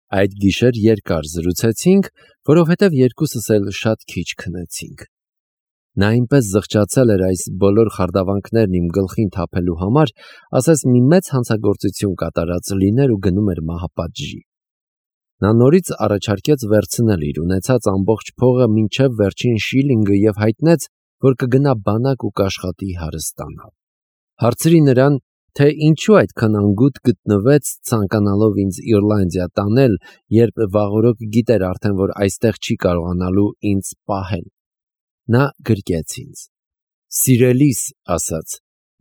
Այդ գիշեր երկար զրուցեցինք, որովհետև երկուսս էլ շատ քիչ քնեցինք։ Նա այնպես զղջացել էր այս բոլոր խարդավանքներն իմ գլխին թափելու համար, ասես մի մեծ հանցագործություն կատարած լիներ ու գնում էր մահապատժի։ Նա նորից առաջարկեց վերցնել իր ունեցած ամբողջ փողը մինչև վերջին շիլինգը և հայտնեց, որ կգնա բանակ ու կաշխատի հարստանալ։ Հարցրի նրան, թե ինչու այդքան անգութ գտնվեց, ցանկանալով ինձ Իռլանդիա տանել, երբ վաղօրոք գիտեր արդեն, որ այստեղ չի կարողանալու ինձ պահել։ Նա գրկեց ինձ։ Սիրելիս, ասաց,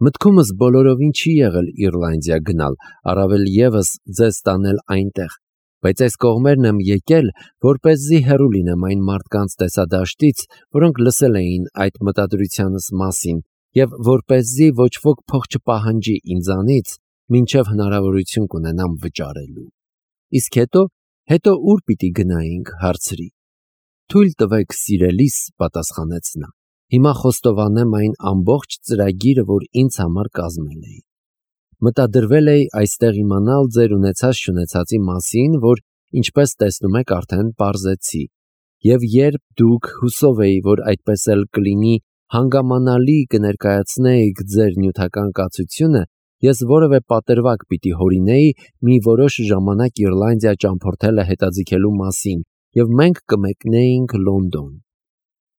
մտքումս բոլորովին չի եղել Իռլանդիա գնալ, առավել ևս ձեզ տանել այնտեղ, բայց այս կողմերն եմ եկել, որպեսզի հեռու լինեմ այն մարդկանց տեսադաշտից, որոնք լսել էին այդ մտադրությանս մասին, և որպեսզի ոչ ոք փող չպահանջի ինձանից, մինչև հնարավորություն կունենամ վճարելու։ Իսկ հետո ուր պիտի գնայինք, հարցրի։ Թույլ տվեք, սիրելիս, պատասխանեց նա։ Հիմա խոստովանեմ այն ամբողջ ծրագիրը, որ ինձ համար կազմել էի։ Մտադրվել էի այստեղ իմանալ ձեր ունեցած-չունեցածի մասին, որ, ինչպես տեսնում եք, արդեն պարզեցի։ Եվ երբ դուք, հուսով էի, որ այդպես էլ կլինի, հանգամանալի կներկայացնեիք ձեր նյութական կացությունը, ես որևէ պատրվակ պիտի հորինեի մի որոշ ժամանակ Իռլանդիա ճամփորդելը հետաձգելու մասին, և մենք կմեկնեինք Լոնդոն։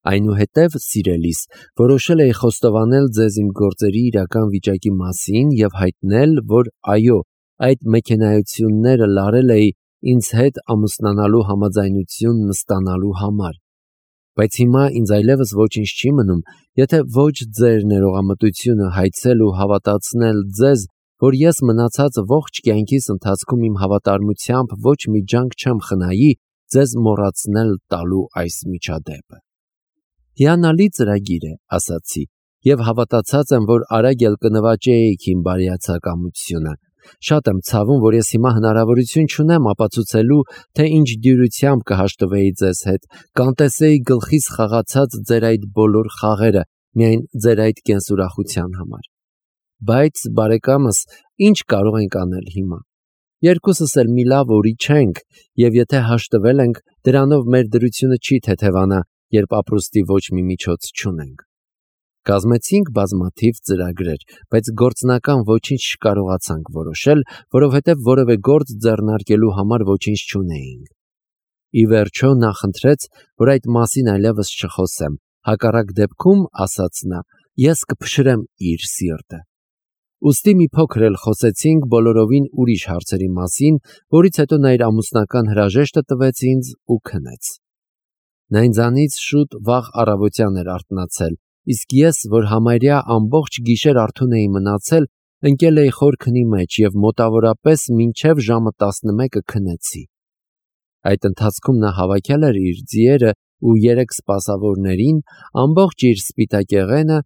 Այնուհետև, սիրելիս, որոշել էի խոստովանել ձեզ իմ գործերի իրական վիճակի մասին և հայտնել, որ այո, այդ մեքենայությունները լարել էի ինձ հետ ամուսնանալու համաձայնությունն ստանալու համար։ Բայց հիմա ինձ այլևս ոչինչ չի մնում, եթե ոչ ձեր ներողամտությունը հայցել ու հավատացնել ձեզ, որ ես մնացած ողջ կյանքիս ընթացքում իմ հավատարմությամբ ոչ մի ջանք չեմ խնայի ձեզ մոռացնել տալու այս միջադեպը։ Հիանալի ծրագիր է, ասացի, և հավատացած եմ, որ արագ էլ կնվաճեիք իմ բարիացակամությունը։ Շատ եմ ցավում, որ ես հիմա հնարավորություն չունեմ ապացուցելու, թե ինչ դյուրությամբ կհաշտվեի ձեզ հետ, կանտեսեի գլխիս խաղացած ձեր այդ բոլոր խաղերը, միայն ձեր այդ կենսուրախության համար։ Բայց, բարեկամս, ինչ կարող ենք անել հիմա։ Երկուսս էլ մի լավ օրի չենք, և եթե հաշտվել ենք, դրանով մեր դրությունը չի թեթևանա, երբ ապրուստի ոչ մի միջոց չունենք։ Կազմեցինք բազմաթիվ ծրագրեր, բայց գործնական ոչինչ չկարողացանք որոշել, որովհետև որևէ գործ ձեռնարկելու համար ոչինչ չունեինք։ Ի վերջո նա խնդրեց, որ այդ մասին այլևս չխոսեմ, հակառակ դեպքում, ասաց նա, ես կփշրեմ իր սիրտը։ Ուստի մի փոքր էլ խոսեցինք բոլորովին ուրիշ հարցերի մասին, որից հետո նա իր ամուսնական հրաժեշտը տվեց ինձ ու քնեց։ Նա ինձանից շուտ վաղ առավոտյան էր արթնացել, իսկ ես, որ համարյա ամբողջ գիշեր արթուն էի մնացել, ընկել էի խոր քնի մեջ և մոտավորապես մինչև ժամը 11 քնեցի։ Այդ ընթացքում նա հավաքել էր իր ձիերը ու 3 սպասավորներին, ամբողջ իր սպիտակեղենը,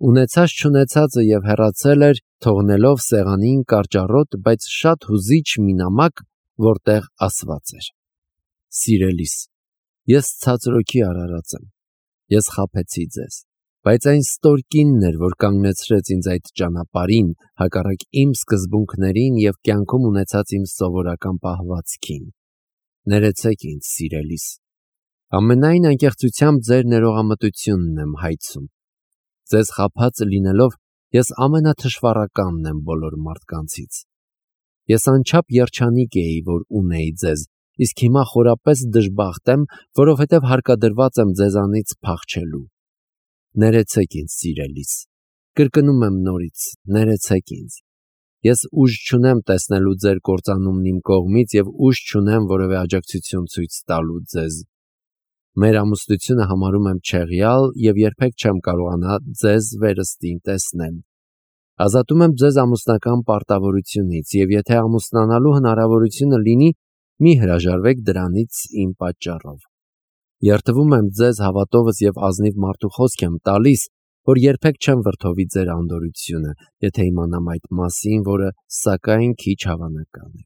ունեցած-չունեցածը և հեռացել էր, թողնելով սեղանին կարճառոտ, բայց շատ հուզիչ մի նամակ, որտեղ ասված էր. Սիրելիս, ես ցածրոքի արարած եմ, ես խաբեցի ձեզ, բայց այն ստորկինն էր, որ կանգնեցրեց ինձ այդ ճանապարհին, հակառակ իմ սկզբունքներին և կյանքում ունեցած իմ սովորական պահվածքին։ Ներեցեք ինձ, սիրելիս։ Ամենայն անկեղծությամբ ձեր ներողամտությունն եմ հայցում։ Ձեզ խաբած լինելով, ես ամենաթշվառականն եմ բոլոր մարդկանցից։ Ես անչափ երջանիկ էի, որ ունեի ձեզ, իսկ հիմա խորապես դժբախտ եմ, որովհետև հարկադրված եմ ձեզանից փախչելու։ Ներեցեք ինձ, սիրելիս։ Կրկնում եմ նորից, ներեցեք ինձ։ Ես ուժ չունեմ տեսնելու ձեր կործանումն իմ կողմից և ուժ չունեմ որևէ աջակցություն ցույց տալու ձեզ։ Մեր ամուսնությունը համարում եմ չեղյալ և երբեք չեմ կարողանա ձեզ վերստին տեսնել։ Ազատում եմ ձեզ ամուսնական պարտավորությունից և եթե ամուսնանալու հնարավորությունը լինի, մի հրաժարվեք դրանից իմ պատճառով։ Երդվում եմ ձեզ հավատովս և ազնիվ մարդու խոսք եմ տալիս, որ երբեք չեմ վրդովի ձեր անդորրությունը, եթե իմանամ այդ մասին, որը սակայն քիչ հավանական է։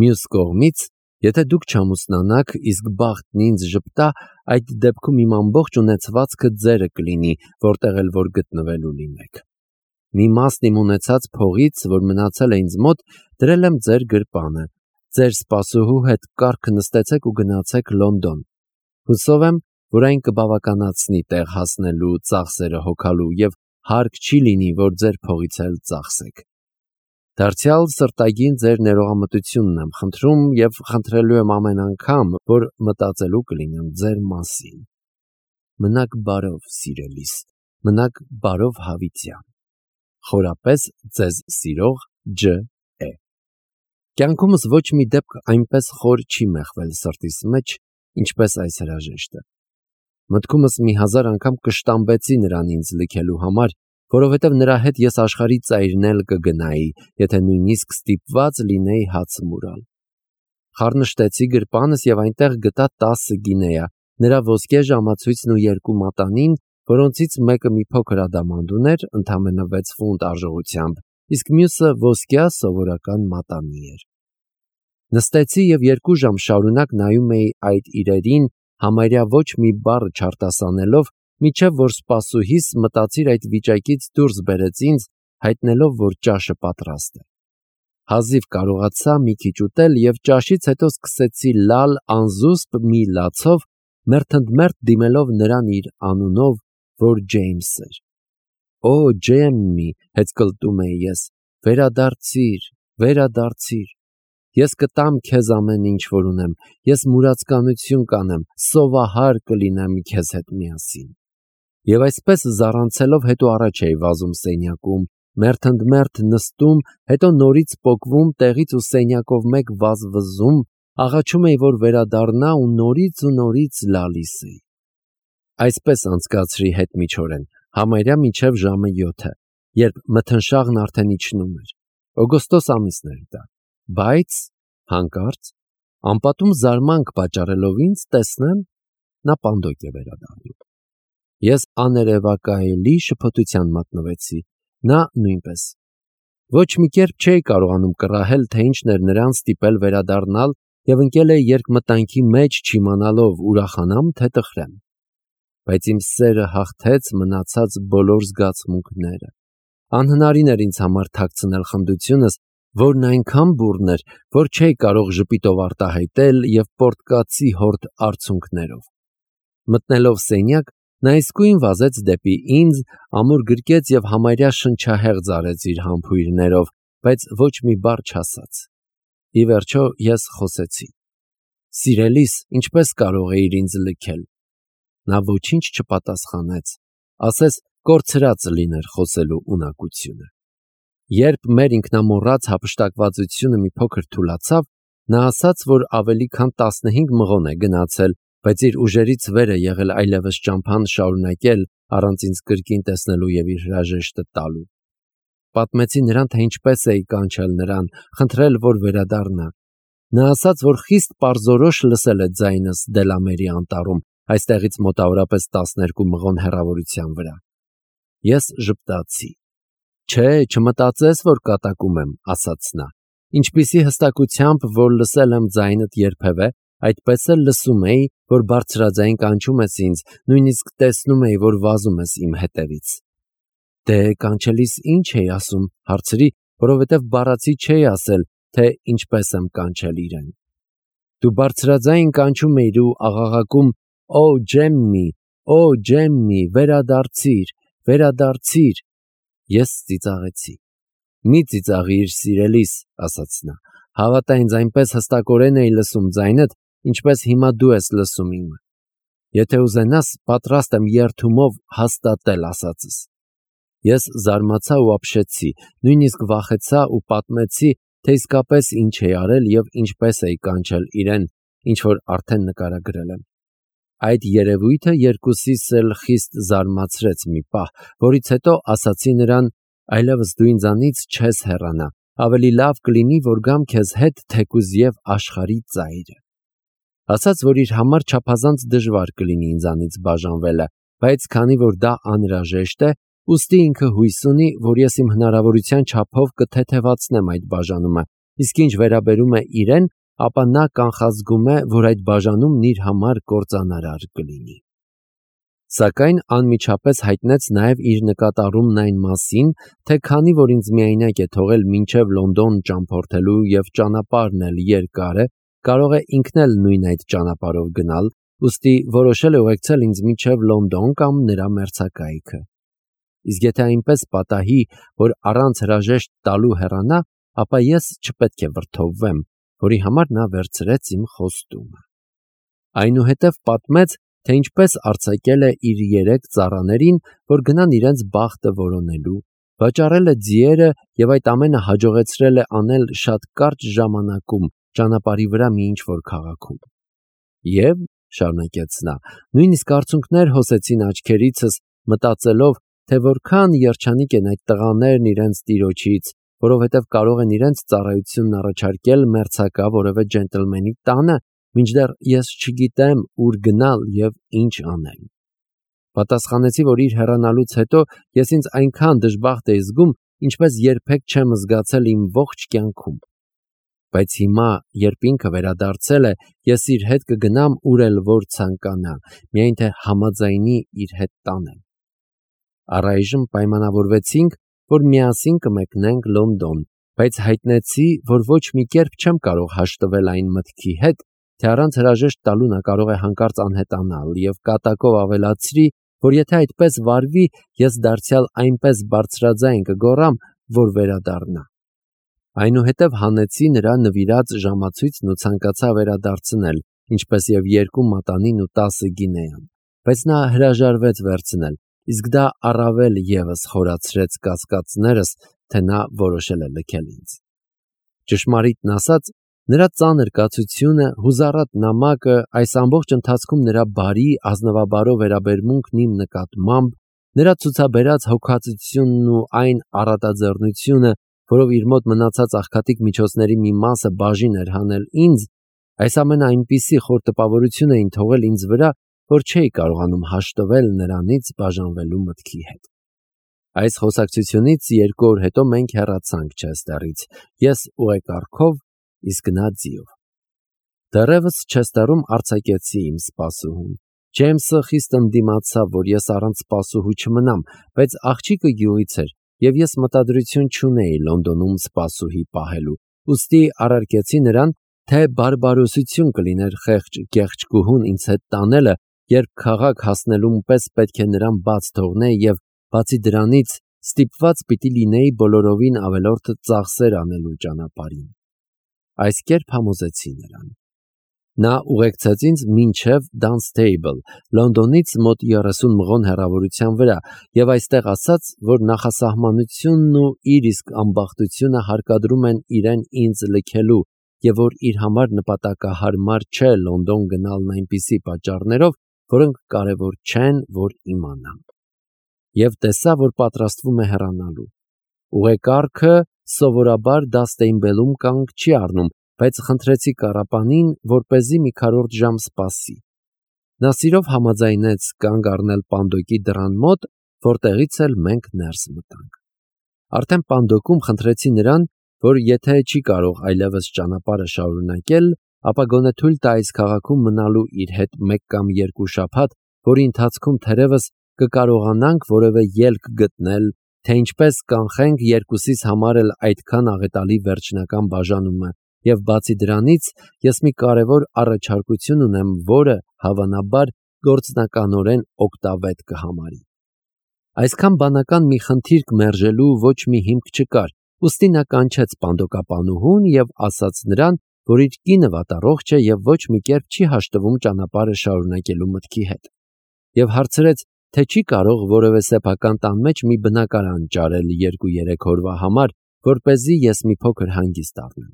Մյուս կողմից, եթե դուք չամուսնանաք, իսկ բախտն ինձ ժպտա, այդ դեպքում իմ ամբողջ ունեցվածքը ձերը կլինի, որտեղ էլ որ գտնվելու լինեք։ Մի մասն իմ ունեցած փողից, որ մնացել է ինձ մոտ, դրել եմ ձեր գրպանը, ձեր սպասուհու հետ կառք նստեցեք ու գնացեք Լոնդոն։ Հուսով եմ, որ այն կբավականացնի տեղ հասնելու ծախսերը հոգալու եւ հարկ չի լինի, որ ձեր փողից էլ ծախսեք։ Դարձյալ սրտագին ձեր ներողամտությունն եմ խնդրում եւ խնդրելու եմ ամեն անգամ, որ մտածելու կլինեմ ձեր մասին։ Մնաք բարով, սիրելիս, մնաք բարով հավիտյան։ Խորապես ձեզ սիրող Ջ. Է. Կյանքումս ոչ մի դեպք այնպես խոր չի մեղվել սրտիս մեջ, ինչպես այս հրաժեշտը։ Մտքումս մի հազար անգամ կշտամբեցի նրան ինձ լքելու համար, որովհետև նրա հետ ես աշխարհի ծայրն էլ կգնայի, եթե նույնիսկ ստիպված լինեի հաց մուրալ։ Խառնշտեցի գրպանս եւ այնտեղ գտա 10 գինեա, նրա ոսկե ժամացույցն ու 2 մատանին, որոնցից մեկը մի փոքր ադամանդ ուներ, ընդամենը 6 ֆունտ արժողությամբ, իսկ մյուսը ոսկյա սովորական մատանի էր։ Նստեցի եւ 2 ժամ շարունակ նայում էի այդ իրերին, համարյա ոչ մի բառ չարտասանելով, մինչև որ սպասուհիս մտածիր այդ վիճակից դուրս բերեց ինձ, հայտնելով, որ ճաշը պատրաստ է։ Հազիվ կարողացա մի քիչ ուտել եւ ճաշից հետո սկսեցի լալ անզուսպ մի լացով, մերթընդմերթ դիմելով նրան իր անունով, որ Ջեյմս էր։ Օ, Ջեմմի, հեծկլտում էի ես, վերադարձիր, վերադարձիր։ Ես կտամ քեզ ամեն ինչ, որ ունեմ, ես մուրացկանություն կանեմ, սովահար կլինեմ քեզ հետ միասին։ Եվ այսպես զառանցելով հետո առաջ էի վազում սենյակում, մերթընդմերթ նստում, հետո նորից պոկվում տեղից ու սենյակով մեկ վազ վզում, աղաչում էի, որ վերադառնա ու նորից լալիս էի։ Այսպես անցկացրի հետմիջօրեն, համարյա մինչև ժամը 7, երբ մթնշաղն արդեն իջնում էր։ Օգոստոս ամիսն էր դա, բայց հանկարծ անպատում զարմանք պատճառելով ինձ տեսնեմ, նա պանդոկ է վերադառնում։ Ես աներևակայելի շփոթության մատնվեցի, նա նույնպես։ Ոչ մի կերպ չէի կարողանում կռահել, թե ինչն էր նրան ստիպել վերադառնալ եւ ընկել էի երկմտանքի մեջ չիմանալով ուրախանամ, թե տխրեմ։ Բայց իմ սերը հաղթեց մնացած բոլոր զգացմունքները։ Անհնարին էր ինձ համար թաքցնել խնդությունս, որն այնքան բուռն էր, որ չէի կարող ժպիտով արտահայտել եւ պորտկացի հորդ արցունքներով։ Մտնելով սենյակ, նա իսկույն վազեց դեպի ինձ, ամուր գրկեց եւ համարյա շնչահեղձ արեց իր համբույրներով, բայց ոչ մի բառ չասաց։ Ի վերջո ես խոսեցի. Սիրելիս, ինչպես կարող էիր ինձ լքել։ Նա ոչինչ չպատասխանեց, ասես կորցրած լիներ խոսելու ունակությունը։ Երբ մեր ինքնամոռաց հափշտակվածությունը մի փոքր թուլացավ, նա ասաց, որ ավելի քան 15 մղոն է գնացել, բայց իր ուժերից վեր է եղել այլևս ճամփան շարունակել առանց ինձ կրկին տեսնելու եւ իր հրաժեշտը տալու։ Պատմեցի նրան, թե ինչպես էի կանչել նրան, խնդրել, որ վերադառնա։ Նա ասաց, որ խիստ պարզորոշ լսել է ձայնս Դելամերի անտառում, այստեղից մոտավորապես 12 մղոն հեռավորության վրա։ Ես ժպտացի։ Չէ, չմտածես, որ կատակում եմ, ասաց նա։ Ինչպիսի հստակությամբ, որ լսել եմ ձայնդ երբևէ, այդպես էլ լսում էի, որ բարձրաձայն կանչում ես ինձ, նույնիսկ տեսնում էի, որ վազում ես իմ հետևից։ Դե կանչելիս ինչ էի ասում, հարցրի, որովհետև բառացի չէի ասել, թե ինչպես եմ կանչել իրեն։ Դու բարձրաձայն կանչում էիր ու աղաղակում. Օ, Ջեմմի, վերադարձիր, վերադարձիր։ Ես ծիծաղեցի։ Մի ծիծաղիր, սիրելիս, ասաց նա։ Հավատա ինձ, այնպես հստակորեն էի լսում ձայնդ, ինչպես հիմա դու ես լսում իմը։ Եթե ուզենաս, պատրաստ եմ երդումով հաստատել ասածս։ Ես զարմացա ու ապշեցի, նույնիսկ վախեցա ու պատմեցի, թե իսկապես ինչ էի արել եւ ինչպես էի կանչել իրեն, ինչ որ արդեն նկարագրել եմ։ Այդ երևույթը երկուսիս էլ խիստ զարմացրեց մի պահ, որից հետո ասացի նրան. այլևս դու ինձանից չես հեռանա, ավելի լավ կլինի, որ գամ քեզ հետ թեկուզ եւ աշխարհի ծայրը։ Ասաց, որ իր համար չափազանց դժվար կլինի ինձանից բաժանվելը, բայց քանի որ դա անհրաժեշտ է, ուստի ինքը հույս ունի, որ ես իմ հնարավորության չափով կթեթևացնեմ այդ բաժանումը, իսկ ինչ վերաբերում է իրեն, ապա նա կանխազգում է, որ այդ բաժանումն իր համար կործանարար կլինի։ Սակայն անմիջապես հայտնեց նաև իր նկատառումն այն մասին, թե քանի որ ինձ միայնակ է թողել մինչև Լոնդոն ճամփորդելու և ճանապարհն էլ երկար է, կարող է ինքն էլ նույն այդ ճանապարհով գնալ, ուստի որոշել է ուղեկցել ինձ մինչև Լոնդոն կամ նրա մերձակայքը։ Իսկ եթե այնպես պատահի, որ առանց հրաժեշտ տալու հեռանա, ապա ես չպետք է վրդովվեմ, որի համար նա վերցրեց իմ խոստումը։ Այնուհետև պատմեց, թե ինչպես արձակել է իր 3 ծառաներին, որ գնան իրենց բախտը որոնելու, վաճառել է ձիերը և այդ ամենը հաջողեցրել է անել շատ կարճ ժամանակում ճանապարհի վրա մի ինչ-որ քաղաքում։ Եվ, շարունակեց նա, նույնիսկ արցունքներ հոսեցին աչքերիցս, մտածելով, թե որքան երջանիկ են այդ տղաներն իրենց տիրոջից, որովհետև կարող են իրենց ծառայությունն առաջարկել մերձակա որևէ ջենտլմենի տանը, մինչդեռ ես չգիտեմ ուր գնալ և ինչ անել։ Պատասխանեցի, որ իր հեռանալուց հետո ես ինձ այնքան դժբախտ էի զգում, ինչպես երբեք չեմ զգացել իմ ողջ կյանքում։ Բայց հիմա, երբ ինքը վերադարձել է, ես իր հետ կգնամ ուր էլ որ ցանկանա, միայն թե համաձայնի իր հետ տանել։ Առայժմ պայմանավորվեցինք, որ միասին կմեկնենք Լոնդոն, բայց հայտնեցի, որ ոչ մի կերպ չեմ կարող հաշտվել այն մտքի հետ, թե առանց հրաժեշտ տալու նա կարող է հանկարծ անհետանալ, և կատակով ավելացրի, որ եթե այդպես վարվի, ես դարձյալ այնպես բարձրաձայն կգոռամ, որ վերադառնա։ Այնուհետև հանեցի նրա նվիրած ժամացույցն ու ցանկացա վերադարձնել, ինչպես և 2 մատանին ու 10 գինեան, բայց նա հրաժարվեց վերցնել, իսկ դա առավել ևս խորացրեց կասկածներս, թե նա որոշել է լքել ինձ։ Ճշմարիտն ասած, նրա ծանր կացությունը, հուզառատ նամակը, այս ամբողջ ընթացքում նրա բարի, ազնվաբարո վերաբերմունքն իմ նկատմամբ, նրա ցուցաբերած հոգածությունն ու այն առատաձեռնությունը, որով իր մոտ մնացած աղքատիկ միջոցների մի մասը բաժին էր հանել ինձ, այս ամենը այնպիսի խոր տպավորություն էին թողել ինձ վրա, որ չէի կարողանում հաշտվել նրանից բաժանվելու մտքի հետ։ Այս խոսակցությունից 2 օր հետո մենք հեռացանք Չեստերից, ես ուղեկառքով, իսկ նա ձիով։ Դեռևս Չեստերում արձակեցի իմ սպասուհուն։ Ջեյմսը խիստ ընդդիմացավ, որ ես առանց սպասուհու չմնամ, բայց աղջիկը գյուղից էր, և ես մտադրություն չունեի Լոնդոնում սպասուհի պահելու, ուստի առարկեցի նրան, թե բարբարոսություն կլիներ խեղճ գեղեցկուհուն ինձ հետ տանելը, երբ քաղաք հասնելուն պես պետք է նրան բաց թողնեի և, բացի դրանից, ստիպված պիտի լինեի բոլորովին ավելորդ ծախսեր անելու ճանապարհին։ Այս կերպ համոզեցի նրան։ Նա ուղեկցեց ինձ մինչև Դանստեյբլ, Լոնդոնից մոտ 30 մղոն հեռավորության վրա, և այստեղ ասաց, որ նախասահմանությունն ու իր իսկ ամբախտությունը հարկադրում են իրեն ինձ լքելու, և որ իր համար նպատակահարմար չէ Լոնդոն գնալն այնպիսի պատճառներով, որոնք կարևոր չեն, որ իմանամ։ Եվ տեսա, որ պատրաստվում է հեռանալու։ Ուղեկառքը սովորաբար Դանստեյբլում կանգ չի առնում, բայց խնդրեցի կառապանին, որպեսզի մի քառորդ ժամ սպասի։ Նա սիրով համաձայնեց կանգ առնել պանդոկի դռան մոտ, որտեղից էլ մենք ներս մտանք։ Արդեն պանդոկում խնդրեցի նրան, որ եթե չի կարող այլևս ճանապարհը շարունակել, ապա գոնե թույլ տա այս քաղաքում մնալու իր հետ 1 կամ 2 շաբաթ, որի ընթացքում թերևս կկարողանանք որևէ ելք գտնել, թե ինչպես կանխենք երկուսիս համար էլ այդքան աղետալի վերջնական բաժանումը, և բացի դրանից, ես մի կարևոր առաջարկություն ունեմ, որը, հավանաբար, գործնականորեն օգտավետ կհամարի։ Այսքան բանական մի խնդիր մերժելու ոչ մի հիմք չկար, ուստի նա կանչեց պանդոկապանուհուն և ասաց նրան, որ իր կինը վատառողջ է և ոչ մի կերպ չի հաշտվում ճանապարհը շարունակելու մտքի հետ, և հարցրեց, թե չի կարող որևէ սեփական տան մեջ մի բնակարան ճարել 2-3 օրվա համար, որպեսզի ես մի փոքր հանգիստ առնեմ։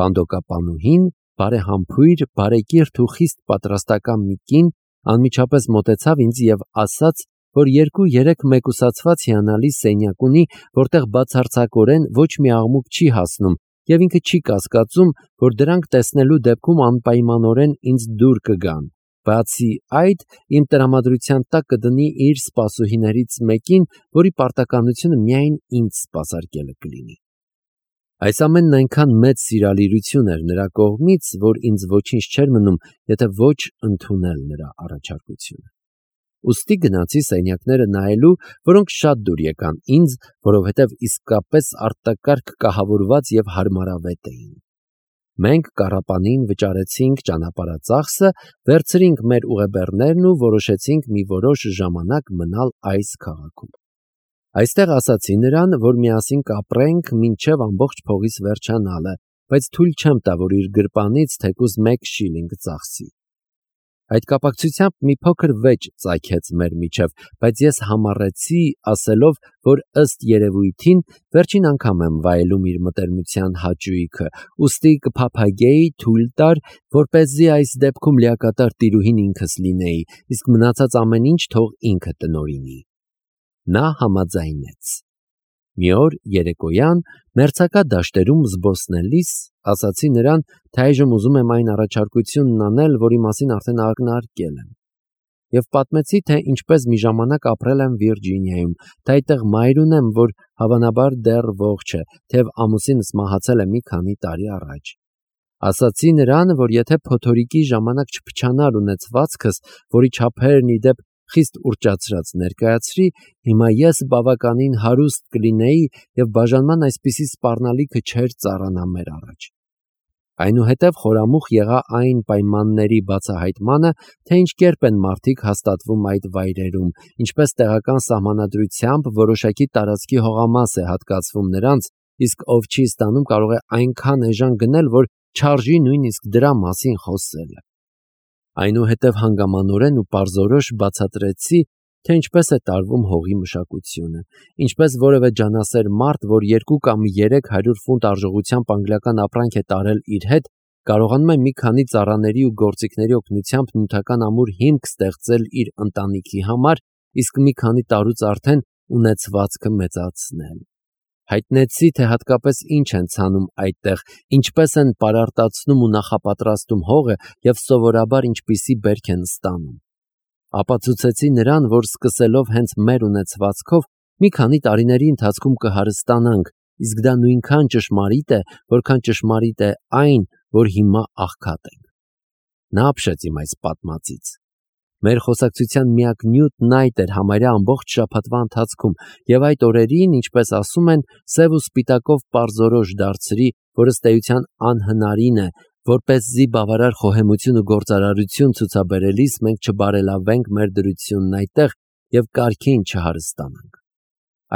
Պանդոկապանուհին, բարեհամբույր, բարեկիրթ ու խիստ պատրաստական մի կին, անմիջապես մոտեցավ ինձ և ասաց, որ 2-3 մեկուսացված հիանալի սենյակ ունի, որտեղ բացարձակորեն ոչ մի աղմուկ չի հասնում, և ինքը չի կասկածում, որ դրանք տեսնելու դեպքում անպայմանորեն ինձ դուր կգան, բացի այդ, իմ տրամադրության տակ կդնի իր սպասուհիներից մեկին, որի պարտականությունը միայն ինձ սպասարկելը կլինի։ Այս ամենն այնքան մեծ սիրալիրություն էր նրա կողմից, որ ինձ ոչինչ չէր մնում, եթե ոչ ընդունել նրա առաջարկությունը։ Ուստի գնացի սենյակները նայելու, որոնք շատ դուր եկան ինձ, որովհետև իսկապես արտակարգ կահավորված և հարմարավետ էին։ Մենք կառապանին վճարեցինք ճանապարհածախսը, վերցրինք մեր ուղեբեռներն ու որոշեցինք մի որոշ ժամանակ մնալ այս քաղաքում։ Այստեղ ասացի նրան, որ միասին կապրենք մինչև ամբողջ փողից վերջանալը, բայց թույլ չեմ տա, որ իր գրպանից թեկուզ 1 շիլինգ ծախսի։ Այդ կապակցությամբ մի փոքր վեճ ծագեց մեր միջև, բայց ես համառեցի, ասելով, որ ըստ երևույթին վերջին անգամ եմ վայելում իր մտերմության հաճույքը, ուստի կփափագեի թույլ տար, որպեսզի այս դեպքում լիակատար տիրուհին ինքս լինեի, իսկ մնացած ամեն ինչ թող ինքը տնօրինի։ Նա համաձայնեց։ Մի օր երեկոյան մերձակա դաշտերում զբոսնելիս ասացի նրան, թե այժմ ուզում եմ այն առաջարկությունն անել, որի մասին արդեն ակնարկել եմ, և պատմեցի, թե ինչպես մի ժամանակ ապրել եմ Վիրջինիայում, թե այդտեղ մայր ունեմ, որ հավանաբար դեռ ողջ է, թեև ամուսինս մահացել է մի քանի տարի առաջ։ Ասացի նրան, որ եթե փոթորիկի ժամանակ չփչանար ունեցվածքս, որի չափերն ի դեպ խիստ ուռճացրած ներկայացրի, հիմա ես բավականին հարուստ կլինեի և բաժանման այսպիսի սպառնալիքը չէր ծառանա մեր առաջ։ Այնուհետև խորամուխ եղա այն պայմանների բացահայտմանը, թե ինչ կերպ են մարդիկ հաստատվում այդ վայրերում, ինչպես տեղական սահմանադրությամբ որոշակի տարածքի հողամաս է հատկացվում նրանց, իսկ ով չի ստանում կարող է այնքան էժան գնել, որ չարժի նույնիսկ դրա մասին խոսելը։ Այնուհետև հանգամանորեն ու պարզորոշ բացատրեցի, թե ինչպես է տարվում հողի մշակությունը, ինչպես որևէ ջանասեր մարդ, որ 2 կամ 300 ֆունտ արժողությամբ անգլիական ապրանք է տարել իր հետ, կարողանում է մի քանի ծառաների ու գործիքների օգնությամբ նյութական ամուր հիմք ստեղծել իր ընտանիքի համար, իսկ մի քանի տարուց արդեն ունեցվածքը մեծացնել։ Հայտնեցի, թե հատկապես ինչ են ցանում այդտեղ, ինչպես են պարարտացնում ու նախապատրաստում հողը և սովորաբար ինչպիսի բերք են ստանում։ Ապացուցեցի նրան, որ սկսելով հենց մեր ունեցվածքով, մի քանի տարիների ընթացքում կհարստանանք, իսկ դա նույնքան ճշմարիտ է, որքան ճշմարիտ է այն, որ հիմա աղքատ ենք։ Նա ապշեց իմ այս պատմածից։ Մեր խոսակցության միակ նյութն այդ էր համարյա ամբողջ շաբաթվա ընթացքում, և այդ օրերին, ինչպես ասում են, սև ու սպիտակով պարզորոշ դարձրի, որ ըստ էության անհնարին է, որպեսզի բավարար խոհեմություն ու գործարարություն ցուցաբերելիս մենք չբարելավենք մեր դրությունն այդտեղ և կարգին չհարստանանք։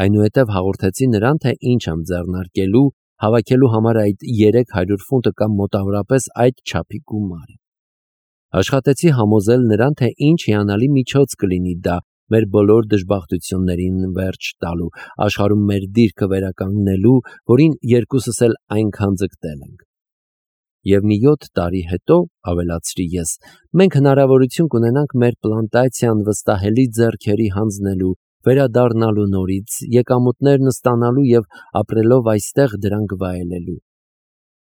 Այնուհետև հաղորդեցի նրան, թե ինչ եմ ձեռնարկելու, հավաքելու համար այդ 300 ֆունտը կամ մոտավորապես այդ չափի գումարը։ Աշխատեցի համոզել նրան, թե ինչ հիանալի միջոց կլինի դա մեր բոլոր դժբախտություններին վերջ տալու, աշխարհում մեր դիրքը վերականգնելու, որին երկուսս էլ այնքան ձգտել ենք։ Եվ մի 7 տարի հետո, ավելացրի ես, մենք հնարավորություն կունենանք մեր պլանտացիան վստահելի ձեռքերի հանձնելու, վերադառնալու նորից, եկամուտներն ստանալու և ապրելով այստեղ դրանք վայելելու։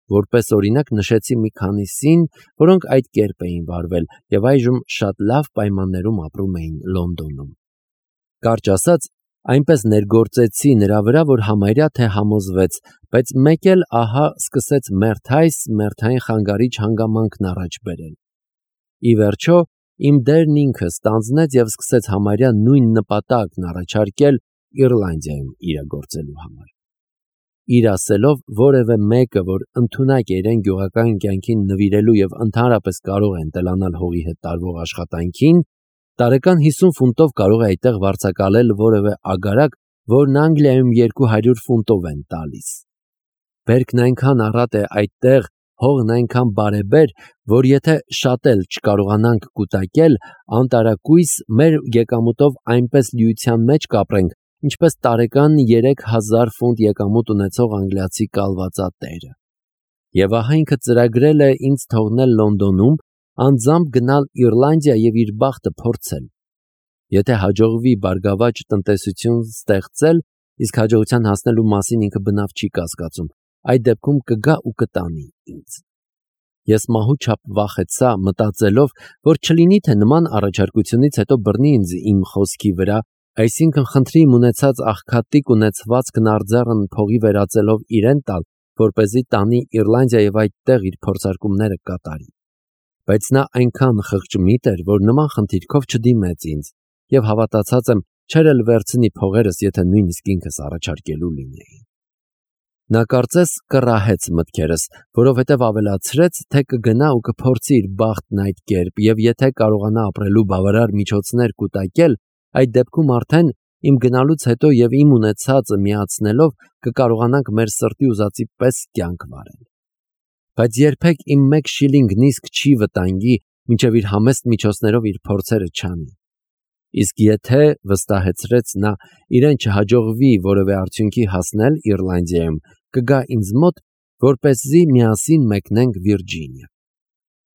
Որպես օրինակ նշեցի մի քանիսին, որոնք այդ կերպ էին վարվել և այժմ շատ լավ պայմաններում ապրում էին Լոնդոնում։ Կարճ ասած, այնպես ներգործեցի նրա վրա, որ համարյա թե համոզվեց, բայց մեկ էլ ահա սկսեց մերթային խանգարիչ հանգամանքն առաջ բերել։ Ի վերջո, իմ դերն ինքը ստանձնեց և սկսեց համարյա նույն նպատակն առաջարկել Իռլանդիայում իրագործելու համար։ Իր ասելով, որևէ մեկը, որ ընդունակ է իրեն գյուղական կյանքին նվիրելու և ընդհանրապես կարող է ընտելանալ հողի հետ տարվող աշխատանքին, տարեկան 50 ֆունտով կարող է այդտեղ վարձակալել որևէ ագարակ, որն Անգլիայում 200 ֆունտով են տալիս։ Բերքն այնքան առատ է այդտեղ, հողն այնքան բարեբեր, որ եթե շատ էլ չկարողանանք կուտակել, անտարակույս մեր եկամուտով այնպես լիության մեջ կապրենք, ինչպես տարեկան 3000 ֆունտ եկամուտ ունեցող անգլիացի կալվածատերը։ Եվ ահա ինքը ծրագրել է ինձ թողնել Լոնդոնում, անձամբ գնալ Իռլանդիա և իր բախտը փորձել։ Եթե հաջողվի բարգավաճ տնտեսություն ստեղծել, իսկ հաջողության հասնելու մասին ինքը բնավ չի կասկածում, այդ դեպքում կգա ու կտանի ինձ։ Ես մահու չափ վախեցա, մտածելով, որ չլինի թե նման առաջարկությունից հետո բռնի ինձ իմ խոսքի վրա, այսինքն խնդրի իմ ունեցած աղքատիկ ունեցվածքն արձեռն փողի վերածելով իրեն տալ, որպեսզի տանի Իռլանդիա և այդտեղ իր փորձարկումները կատարի։ Բայց նա այնքան խղճմիտ էր, որ նման խնդիրքով չդիմեց ինձ, եւ հավատացած եմ, չեր էլ վերցնի փողերս, եթե նույնիսկ ինքս առաջարկելու լինեի։ Նա կարծես կռահեց մտքերս, որովհետև ավելացրեց, թե կգնա ու կփորձի իր բախտն այդ կերպ, եւ եթե կարողանա ապրելու բավարար միջոցներ կուտակել, այդ դեպքում արդեն իմ գնալուց հետո եւ իմ ունեցածը միացնելով կկարողանանք մեր սրտի ուզածի պես կյանք վարել։ Բայց երբեք իմ 1 շիլինգ նիսկ չի վտանգի, մինչև իր համեստ միջոցներով իր փորձերը չանի։ Իսկ եթե, վստահեցրեց նա, իրեն չհաջողվի որևէ արդյունքի հասնել Իռլանդիայում, կգա ինձ մոտ, որպեսզի միասին մեկնենք Վիրջինիա։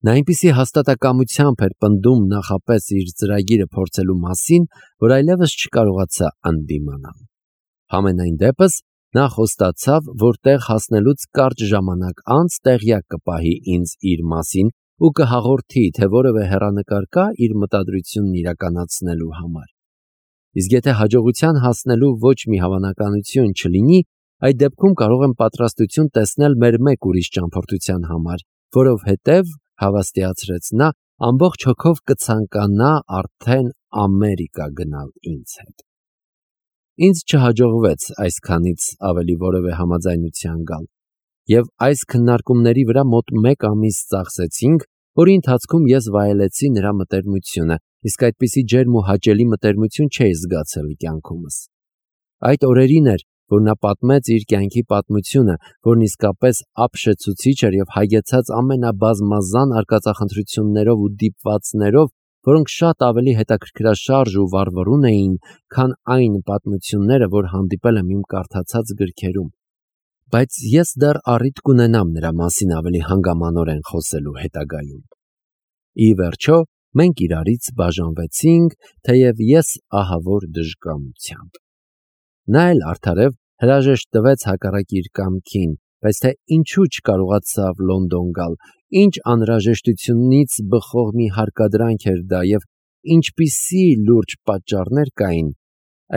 Նա այնպիսի հաստատակամությամբ էր պնդում նախապես իր ծրագիրը փորձելու մասին, որ այլևս չկարողացա ընդդիմանալ։ Համենայն դեպս, նա խոստացավ, որ տեղ հասնելուց կարճ ժամանակ անց տեղյակ կպահի ինձ իր մասին ու կհաղորդի, թե որևէ հեռանկար կա իր մտադրությունն իրականացնելու համար։ Իսկ եթե հաջողության հասնելու ոչ մի հավանականություն չլինի, այդ դեպքում կարող եմ պատրաստություն տեսնել մեր մեկ ուրիշ ճամփորդության համար, որովհետև, հավաստիացրեց նա, ամբողջ հոգով կցանկանա արդեն Ամերիկա գնալ ինձ հետ։ Ինձ չհաջողվեց այսքանից ավելի որևէ համաձայնության գալ, եւ այս քննարկումների վրա մոտ 1 ամիս ծախսեցինք, որի ընթացքում ես վայելեցի նրա մտերմությունը, իսկ այդպիսի ջերմ ու հաճելի մտերմություն չէի զգացել կյանքումս։ Այդ օրերին էր, որ նա պատմեց իր կյանքի պատմությունը, որն իսկապես ապշեցուցիչ էր եւ հագեցած ամենաբազմազան արկածախնդրություններով ու դիպվածներով, որոնք շատ ավելի հետաքրքրաշարժ ու վառվռուն էին, քան այն պատմությունները, որ հանդիպել եմ իմ կարդացած գրքերում։ Բայց ես դեռ առիթ կունենամ նրա մասին ավելի հանգամանորեն խոսելու հետագայում։ Ի վերջո, մենք իրարից բաժանվեցինք, թեև ես ահավոր դժկամությամբ։ Նա էլ արդարև հրաժեշտ տվեց հակառակ իր կամքին, բայց թե ինչու չկարողացավ Լոնդոն գալ, ինչ անհրաժեշտությունից բխող մի հարկադրանք էր դա եւ ինչպիսի լուրջ պատճառներ կային,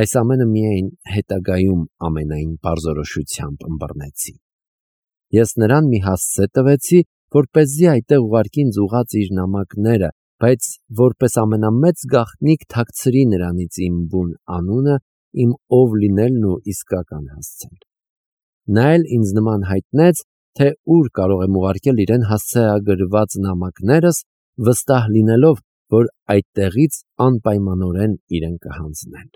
այս ամենը միայն հետագայում ամենայն պարզորոշությամբ ըմբռնեցի։ Ես նրան մի հասցե տվեցի, որպեսզի այդտեղ ուղարկի ինձ ուղղած իր նամակները, բայց որպես ամենամեծ գաղտնիք թաքցրի նրանից իմ բուն անունը, իմ ով լինելն ու իսկական հասցեն։ Նա էլ ինձ նման հայտնեց, թե ուր կարող եմ ուղարկել իրեն հասցեագրված նամակներս, վստահ լինելով, որ այդտեղից անպայմանորեն իրեն կհանձնեն։